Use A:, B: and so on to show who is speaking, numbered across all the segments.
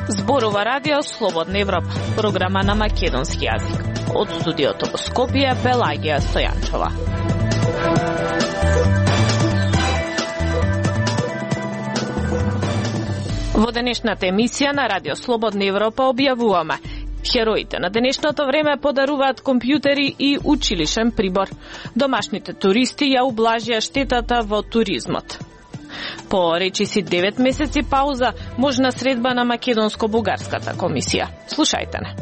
A: Зборува Радио Слободна Европа, програма на македонски јазик. Од студиото во Скопје, Пелагија Стојанчова. Во денешната емисија на Радио Слободна Европа објавуваме: хероите на денешното време подаруваат компјутери и училишен прибор. Домашните туристи ја ублажија штетата во туризмот. По речиси 9 месеци пауза, можна средба на македонско-бугарската комисија. Слушајте не.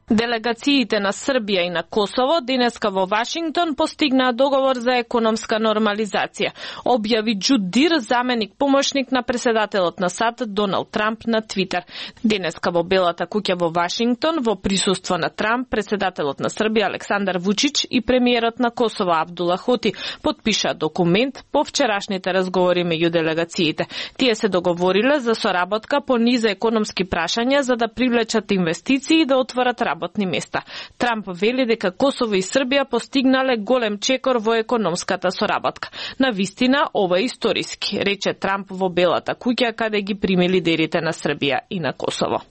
A: Делегациите на Србија и на Косово денеска во Вашингтон постигнаа договор за економска нормализација, објави Џуд Дир, заменик помошник на председателот на САД Доналд Трамп на Твитер. Денеска во Белата куќа во Вашингтон, во присуство на Трамп, председателот на Србија Александар Вучич и премиерот на Косово Абдула Хоти подпишаа документ по вчерашните разговори меѓу делегациите. Тие се договориле за соработка по низа економски прашања за да привлечат инвестиции и да отворат работни места. Трамп вели дека Косово и Србија постигнале голем чекор во економската соработка. На вистина, ова е историски, рече Трамп во Белата куќа каде ги прими лидерите на Србија и на Косово.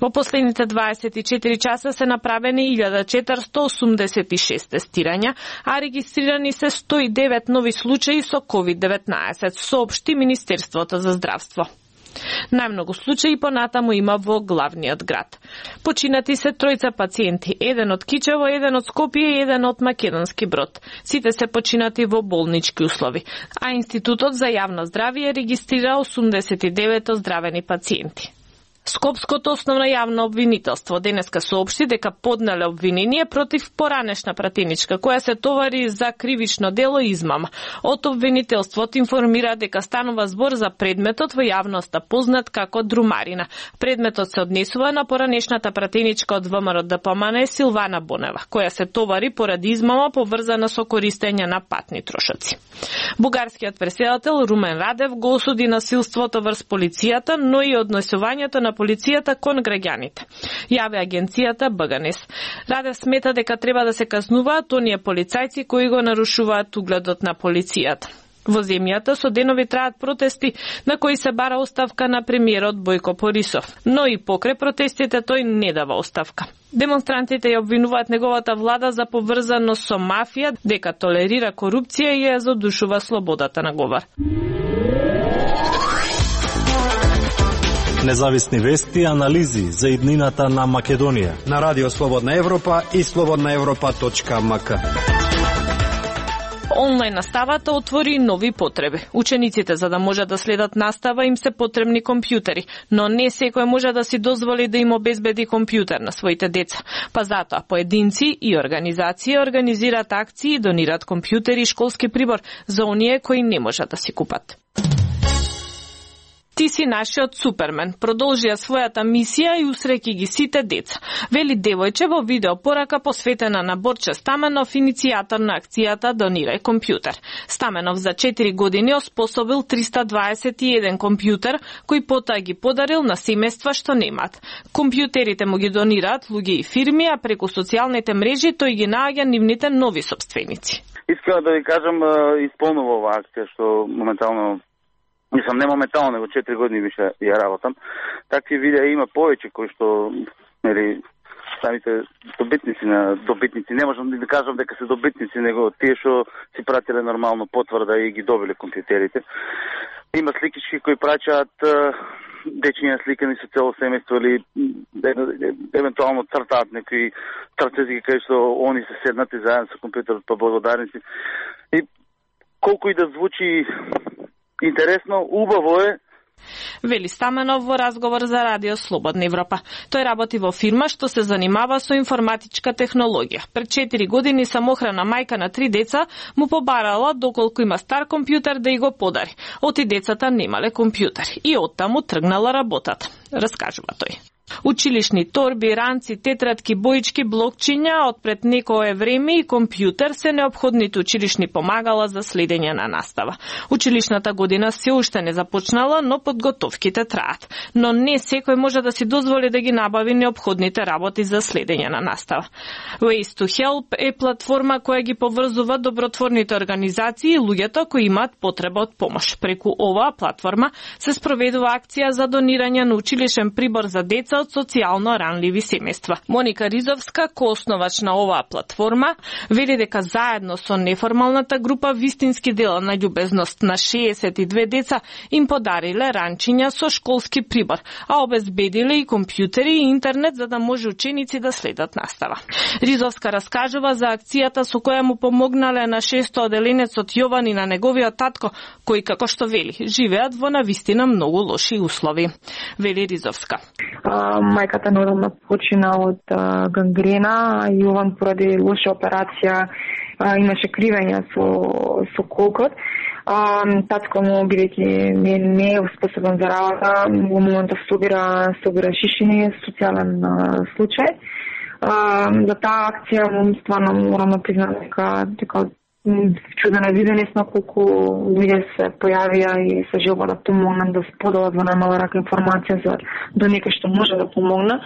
A: Во последните 24 часа се направени 1486 тестирања, а регистрирани се 109 нови случаи со COVID-19, соопшти Министерството за здравство. Најмногу случаи понатаму има во главниот град. Починати се тројца пациенти, еден од Кичево, еден од Скопје и еден од Македонски Брод. Сите се починати во болнички услови, а Институтот за јавно здравје регистрира 89 оздравени пациенти. Скопското основно јавно обвинителство денеска соопшти дека поднеле обвинение против поранешна пратеничка која се товари за кривично дело измама. Од обвинителството информира дека станува збор за предметот во јавноста познат како друмарина. Предметот се однесува на поранешната пратеничка од ВМРО ДПМН Силвана Бонева, која се товари поради измама поврзана со користење на патни трошоци. Бугарскиот претседател Румен Радев го осуди насилството врз полицијата, но и однесувањето на полицијата кон граѓаните. Јави агенцијата БГНЕС. Радев смета дека треба да се казнуваат оние полицајци кои го нарушуваат угледот на полицијата. Во земјата со денови траат протести на кои се бара оставка на премиерот Бојко Борисов, но и покрај протестите тој не дава оставка. Демонстрантите ја обвинуваат неговата влада за поврзано со мафија, дека толерира корупција и ја задушува слободата на говор.
B: Независни вести и анализи за иднината на Македонија
C: на Радио Слободна Европа и slobodnaevropa.mk.
A: Онлайн наставата отвори нови потреби. Учениците за да можат да следат настава им се потребни компјутери, но не секој може да си дозволи да им обезбеди компјутер на своите деца. Па затоа поединци и организации организираат акции и донираат компјутери и школски прибор за оние кои не можат да си купат. Ти си нашиот супермен, продолжија својата мисија и усреќи ги сите деца, вели девојче во видео порака посветена на Борче Стаменов, иницијатор на акцијата Донирај компјутер. Стаменов за 4 години оспособил 321 компјутер, кој потоа ги подарил на семејства што немаат. Компјутерите му ги донираат луѓе и фирми, а преку социјалните мрежи тој ги наоѓа нивните нови сопственици.
D: Искам да ви кажам, исполнува оваа акција што моментално Мислам, не моментално, него 4 години више ја работам. Такви видеа има повеќе кои што, самите добитници, не можам да кажам дека се добитници, него тие што си пратиле нормално потврда и ги добиле компјутерите. Има сликички кои праќаат дечиња сликани со цело семејство или евентуално цртаат некои трцези кај што они се седнати заедно со компјутерот па благодарници. И колку и да звучи интересно, убаво е.
A: Вели Стаменов во разговор за Радио Слободна Европа. Тој работи во фирма што се занимава со информатичка технологија. Пред 4 години самохрана мајка на 3 деца му побарала доколку има стар компјутер да и го подари. Оти децата немале компјутер и оттаму тргнала работата, раскажува тој. Училишни торби, ранци, тетрадки, боички, блокчиња од пред некое време и компјутер се неопходните училишни помагала за следење на настава. Училишната година се уште не започнала, но подготовките траат. Но не секој може да си дозволи да ги набави неопходните работи за следење на настава. Ways to Help е платформа која ги поврзува добротворните организации и луѓето кои имаат потреба од помош. Преку оваа платформа се спроведува акција за донирање на училишен прибор за деца од социјално ранливи семејства. Моника Ризовска, коосновач на оваа платформа, вели дека заедно со неформалната група вистински дела на љубезност на 62 деца им подариле ранчиња со школски прибор, а обезбедиле и компјутери и интернет за да може ученици да следат настава. Ризовска раскажува за акцијата со која му помогнале на 600 оделенецот Јован и на неговиот татко, кои, како што вели, живеат во навистина многу лоши услови. Вели Ризовска.
E: Мајката нормално почина од гангрена, Јован поради лоша операција имаше кривење со колкот. Татко му, бидејќи не е способен за работа, во моментот собира шишини, социјален случај. За таа акција стварно морам да признам дека чуден е виденесно колку луѓе се појавија и се желба да помогнат, да споделат во најмала рака информација за до некој што може да помогне.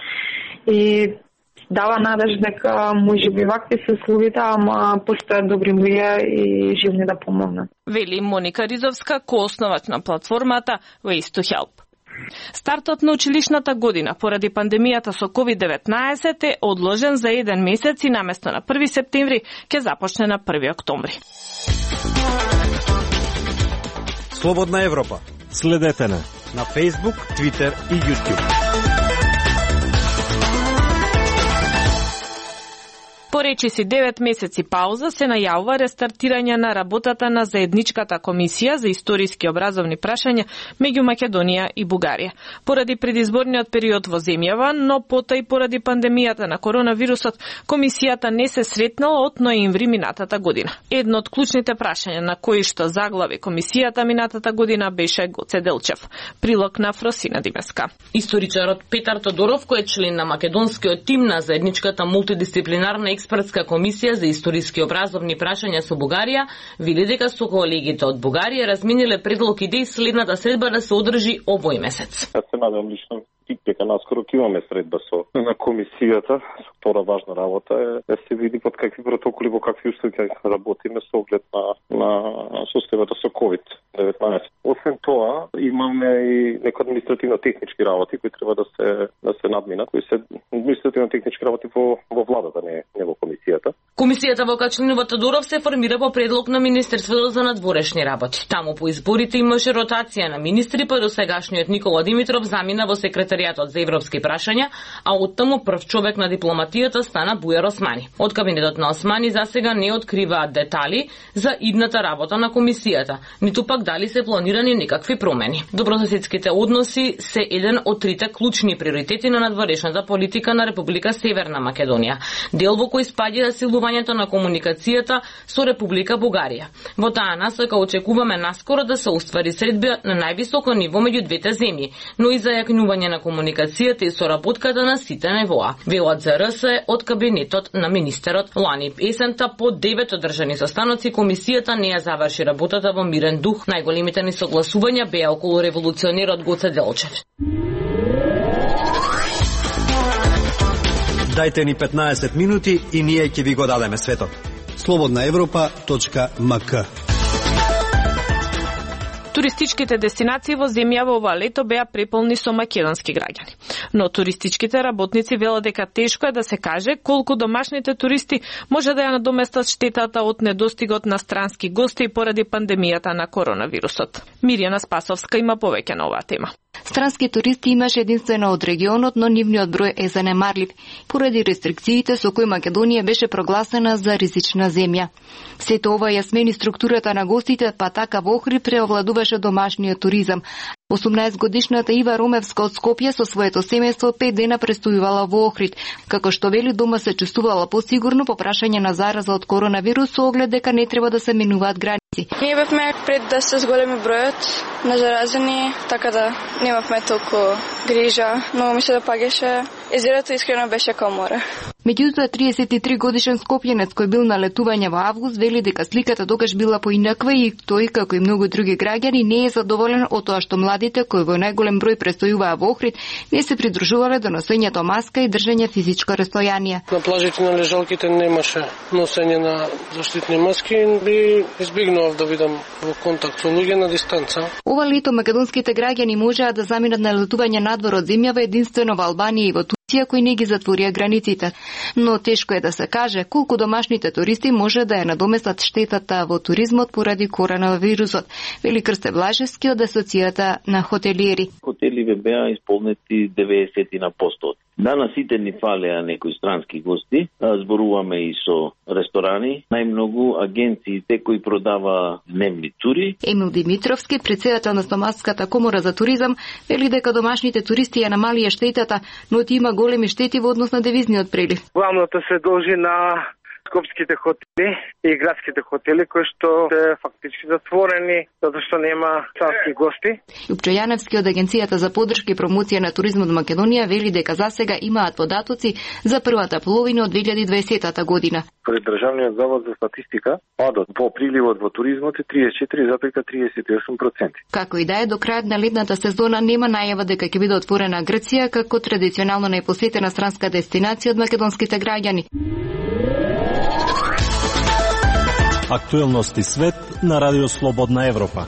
E: И дава надеж дека можеби вакви се условите, ама постојат добри луѓе и живни да помогнат.
A: Вели Моника Ризовска, коосновач на платформата Ways to Help. Стартот на училишната година поради пандемијата со COVID-19 е одложен за 1 месец и наместо на 1 септември ќе започне на 1 октомври.
C: Слободна Европа.
B: Следете на
C: Facebook, Twitter и YouTube.
A: По речиси 9 месеци пауза се најавува рестартирање на работата на заедничката комисија за историски образовни прашања меѓу Македонија и Бугарија. Поради предизборниот период во земјава, но потоа и поради пандемијата на коронавирусот, комисијата не се сретнала од ноември минатата година. Едно од клучните прашања на кои што заглави комисијата минатата година беше Гоце Делчев. Прилог на Фросина Димеска.
F: Историчарот Петар Тодоров, кој е член на македонскиот тим на заедничката мултидисциплинарна експертска комисија за историски образовни прашања со Бугарија, вели дека со колегите од Бугарија размениле предлог идеи следната средба да се одржи овој месец.
G: Јас се надевам лично дека наскоро ќе имаме средба на комисијата. Втора важна работа е да се види под какви протоколи, во какви услови ќе работиме со оглед на состојбата со COVID-19. Освен тоа, имаме и некои административно-технички работи кои треба да се надминат, кои се административно-технички работи во владата, не во комисијата.
F: Комисијата во која членува Тодоров се формира по предлог на Министерството за надворешни работи. Таму по изборите имаше ротација на министри, па досегашниот Никола Димитров замина во секретаријатот за европски прашања, а оттаму прв човек на дипломатијата стана Бујар Османи. Од кабинетот на Османи засега не откриваат детали за идната работа на комисијата, ниту пак дали се планирани некакви промени. Добрососедските односи се еден од трите клучни приоритети на надворешната политика на Република Северна Македонија, дел во кој спаѓа засилувањето на комуникацијата со Република Бугарија. Во таа насока очекуваме наскоро да се оствари средба на највисоко ниво меѓу двете земји, но и зајакнување на комуникацијата и соработката на сите нивоа. Велат за РС од кабинетот на министерот. Лани есента по 9 одржани состаноци комисијата не ја заврши работата во мирен дух. Најголемите несогласувања беа околу револуционерот Гоце Делчев.
C: Дајте ни 15 минути и ние ќе ви го дадеме светот. slobodnaevropa.mk.
A: Туристичките дестинации во земјава ова лето беа преполни со македонски граѓани. Но туристичките работници велат дека тешко е да се каже колку домашните туристи може да ја надоместат штетата од недостигот на странски гости поради пандемијата на коронавирусот. Мирјана Спасовска има повеќе на оваа тема.
H: Странски туристи имаше единствено од регионот, но нивниот број е занемарлив, поради рестрикциите со кои Македонија беше прогласена за ризична земја. Сето ова ја смени структурата на гостите, па така во Охрид преовладуваше домашниот туризам. 18-годишната Ива Ромевска од Скопје со своето семејство 5 дена престојувала во Охрид. Како што вели, дома се чувствувала посигурно по прашање на зараза од коронавирус, со оглед дека не треба да се менуваат граници
I: Ние бевме пред да се зголеми бројот на заразени, така да немавме толку грижа, но ми се допаѓаше. Езерото искрено беше као море.
H: Меѓутоа 33 годишен скопјенец кој бил на летување во август вели дека сликата тогаш била поинаква и тој, како и многу други граѓани, не е задоволен од тоа што младите кои во најголем број престојуваа во Охрид не се придружувале до носењето маска и држење физичко растојание.
J: На плажите на лежалките немаше носење на заштитни маски, би избегнував да бидам во контакт со луѓе на дистанца.
H: Ова лето македонските граѓани можеа да заминат на летување надвор од земјава единствено во Албанија и во Турција, кои не ги затворија границите. Но тешко е да се каже колку домашните туристи може да ја надоместат штетата во туризмот поради коронавирусот, вели Крсте Блажевски од Асоцијата на хотелиери.
K: Хотеливе беа исполнети 90%. Данас сите ни фалеа некои странски гости, зборуваме и со ресторани, најмногу агенциите кои продава дневни тури.
H: Емил Димитровски, председател на Стомаската комора за туризам, вели дека домашните туристи ја намалија штетата, но има големи штети во однос на девизниот прилив.
L: Главното се должи на скопските хотели и градските хотели кои што се фактички затворени затоа што нема странски гости.
H: Лупчо Јаневски од Агенцијата за поддршка и промоција на туризмот во Македонија вели дека засега имаат податоци за првата половина од 2020 година.
G: Пред Државниот завод за статистика, падот по приливот во туризмот е 34,38%.
H: Како и да е, до крајот на летната сезона нема најава дека ќе биде отворена Грција како традиционално најпосетена странска дестинација од македонските граѓани.
B: Актуелности свет на Радио Слободна Европа.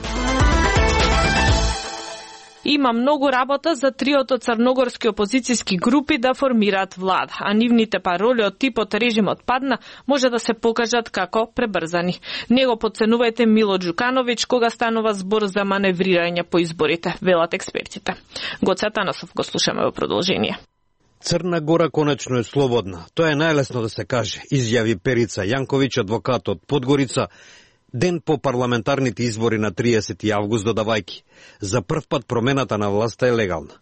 A: Има многу работа за триото црногорски опозицијски групи да формираат влада, а нивните пароли од типот режимот падна може да се покажат како пребрзани. Него подценувајте Мило Ѓукановиќ кога станува збор за маневрирање по изборите, велат експертите. Гоце Атанасов го слушаме во продолжение.
C: Црна Гора конечно е слободна. Тоа е најлесно да се каже, изјави Перица Јанковиќ, адвокат од Подгорица, ден по парламентарните избори на 30 август, додавајќи: за прв пат промената на власта е легална.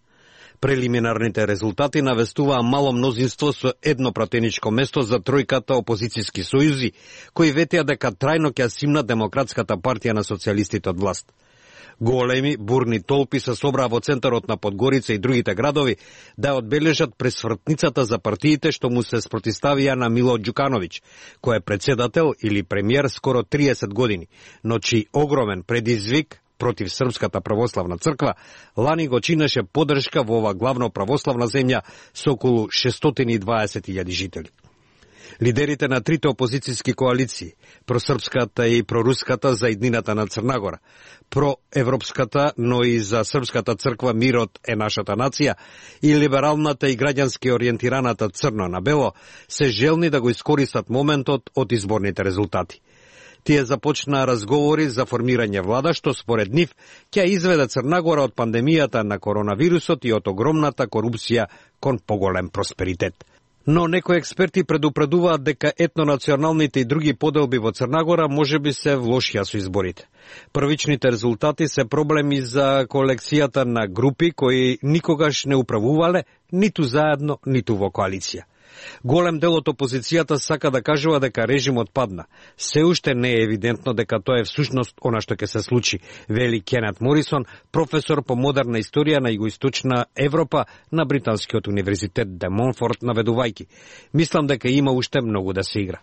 C: Прелиминарните резултати навестуваа мало мнозинство со едно пратеничко место за тројката опозицијски сојузи, кои ветеа дека трајно ќе симна Демократската партија на социјалистите од власт. Големи, бурни толпи се собраа во центарот на Подгорица и другите градови да одбележат пресвртницата за партиите што му се спротиставија на Мило Ѓукановиќ, кој е председател или премиер скоро 30 години, но чиј огромен предизвик против Српската православна црква лани го чинеше поддршка во ова главно православна земја со околу 620.000 жители. Лидерите на трите опозицијски коалиции, просрпската и проруската за иднината на Црна Гора, проевропската, но и за Српската црква Мирот е нашата нација и либералната и граѓански ориентираната Црно на бело, се желни да го искористат моментот од изборните резултати. Тие започнаа разговори за формирање влада, што според нив ќе изведе Црна Гора од пандемијата на коронавирусот и од огромната корупција кон поголем просперитет. Но некои експерти предупредуваат дека етнонационалните и други поделби во Црна Гора можеби се влошија со изборите. Првичните резултати се проблеми за колекцијата на групи кои никогаш не управувале ниту заедно, ниту во коалиција. Голем дел од опозицијата сака да кажува дека режимот падна. Се уште не е евидентно дека тоа е всушност она што ќе се случи, вели Кенет Морисон, професор по модерна историја на Југоисточна Европа на Британскиот универзитет де Монфорт, наведувајќи: мислам дека има уште многу да се игра.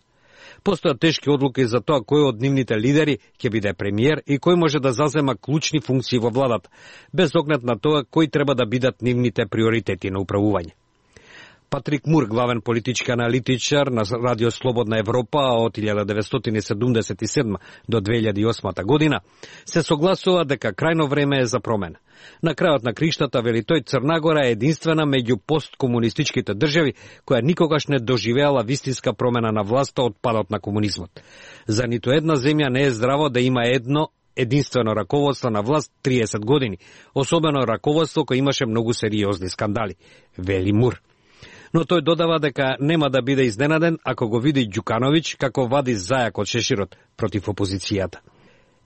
C: Постојат тешки одлуки за тоа кој од нивните лидери ќе биде премиер и кој може да зазема клучни функции во владата, без оглед на тоа кои треба да бидат нивните приоритети на управување. Патрик Мур, главен политички аналитичар на Радио Слободна Европа од 1977 до 2008 година, се согласува дека крајно време е за промена. На крајот на криштата, вели тој, Црна Гора е единствена меѓу посткомунистичките држави која никогаш не доживеала вистинска промена на власта од падот на комунизмот. За ниту една земја не е здраво да има единствено раководство на власт 30 години, особено раководство кој имаше многу сериозни скандали, вели Мур. Но тој додава дека нема да биде изненаден ако го види Ѓукановиќ како вади зајак од шеширот против опозицијата.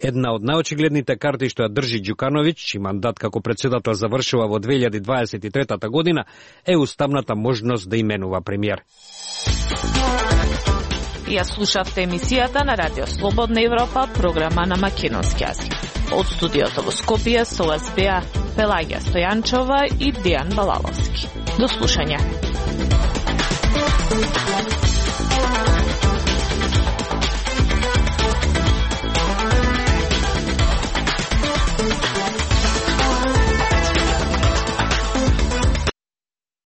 C: Една од најочигледните карти што ја држи Ѓукановиќ, чиј мандат како председател завршува во 2023 година, е уставната можност да именува премиер.
A: Ја слушавте емисијата на Радио Слободна Европа, програма на македонски јазик. Од студиото во Скопје со вас беа Пелагија Стојанчова и Дијан Балаловски. До слушање.